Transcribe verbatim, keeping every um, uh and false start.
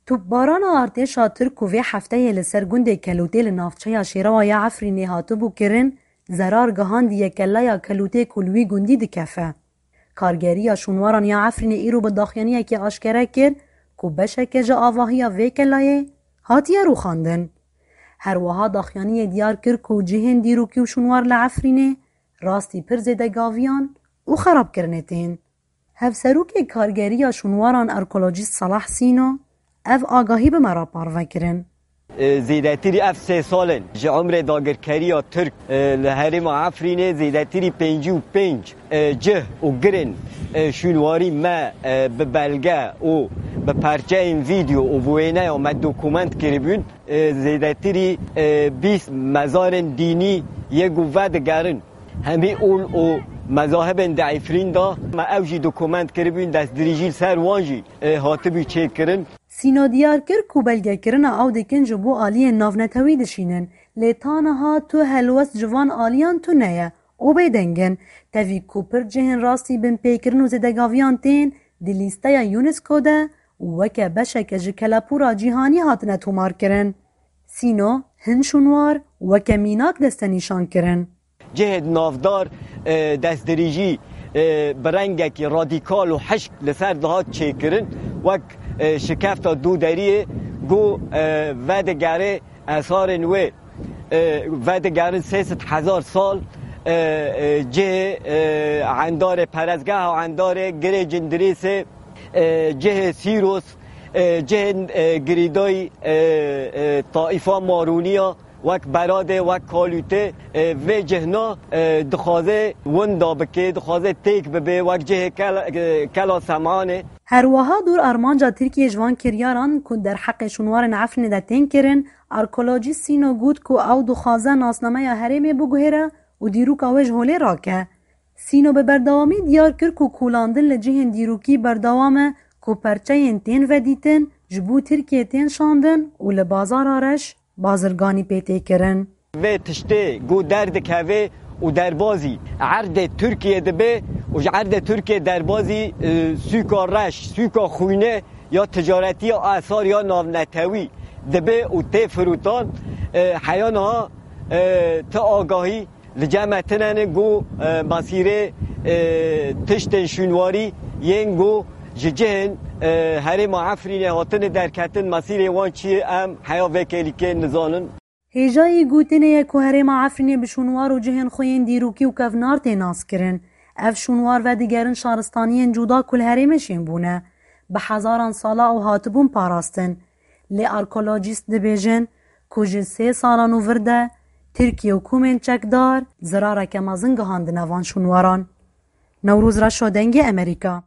Topbarana artêşa Tirk ku vê hefteyê li ser gundê Kelûtê li navçeya Şêrewa ya Efrînê hatibû kirin, zerar gihandiye kelleya Kelûtê ku li wî gundî dikefe. Kargeriya şûnwaran ya Efrînê îro bi daxuyaniyekê aşkere kir ku beşeke ji avahiya vê kellayê hatiye rûxandin. Her wiha daxuyaniyê diyar kir ku cihên dîrokî û şûnwar li Efrînê rastî pir zêde gaviyan û xerabkirinê tên. Hevserokê Kargeriya Şûnwaran Arkeolojîst Salah Sîno ev agahî bi me re parve kirin. E, zêdetirî ev sê sal in ji umrê dagirkeriya Tirk, e, li herêma Efrînê zêdetirî pêncî û pênc, e, cih û girên, e, şûnwarî me, e, bi belge û bi perçeyên vîdeo û bi wêneya me dokument kiribûn. E, zêdetirî, e, bîst mezarên dînî yê ku vedigerin. Hemî ol û mezahibên di Efrîn de me ew jî dokument kiribûn, destdirêjî li ser wan jî, e, hatibû çêkirin. Sîno diyar kir ku belgekirina ew dikin ji bo aliyên navnetewî dişînin, lê ta niha tu helwest ji van aliyan tune ye û bêdeng in. Tevî ku pir cihên rastî binpêkirin û zêdegaviyan tên di lîsteya UNESCO de û weke beşeke ji kelepûra cîhanî hatine tomarkirin. Sîno hin şûnwar weke mînak destenîşan kirin. Cihê navdar, e, destdirêjî, e, bi rengekî radîkal û hişk li ser dihat çêkirin, wek, e, şikefta dûderiyê ku, e, vedigere esarên wê, e, vedigerin sê sed hezar sal, e, e, cihê, e, endarê perestgeha endarê, girê Cindirêsê, e, cihê Sîros, e, cihên, e, girîdayî, e, e, taîfa Marûniya, wek Beradê, wek Kalûtê, e, vê cihna, e, dixwaze winda bike, dixwaze têk bibe, wek cihê Kel-, e, Kela Semanê. Her wiha dûr armanca Tirkiyê ji van kiryaran ku derheqê şûnwarên Efrînê de tên kirin, arkeolojîst Sîno got ku ew dixwaze nasnameya herêmê biguhêre û dîroka wê ji holê rake. Sîno bi berdewamî diyar kir ku kolandin li cihên dîrokî berdewam e ku perçeyên tên vedîtin ji bo Tirkiyê tên şandin û li bazara reş bazirganî pê tê kirin. Vê tiştê ku derdikeve û derbazî erdê Tirkiyê dibe û ji erdê Tirkiyê derbazî, e, sûka reş, sûka xwîne ya ticaretiya asar ya navnetewî dibe û tê firotan, e, heya niha, e, ti agahî li cem me tune ne ku, e, mesîrê, e, tiştên şûnwarî yên ku ji cihên, e, herêma Efrînê hatine derketin, mesîrê wan çi ye, em heya vê kêlîkê nizanin. Hêjayî gotinê ye ku herêma Efrînê bi şûnwar û cihên xwe yên dîrokî û kevnar tê naskirin. Ev şûnwar vedigerin şaristaniyên cuda ku li herêmê şên bûne. Bi hezaran sala ew hatibûn parastin. Lê arkeolojîst dibêjin ku ji sê salan û vir de Tirkiye û komên çekdar zirareke mezin gihandine van şûnwaran. Newroz Reşo, Dengê Emerîka.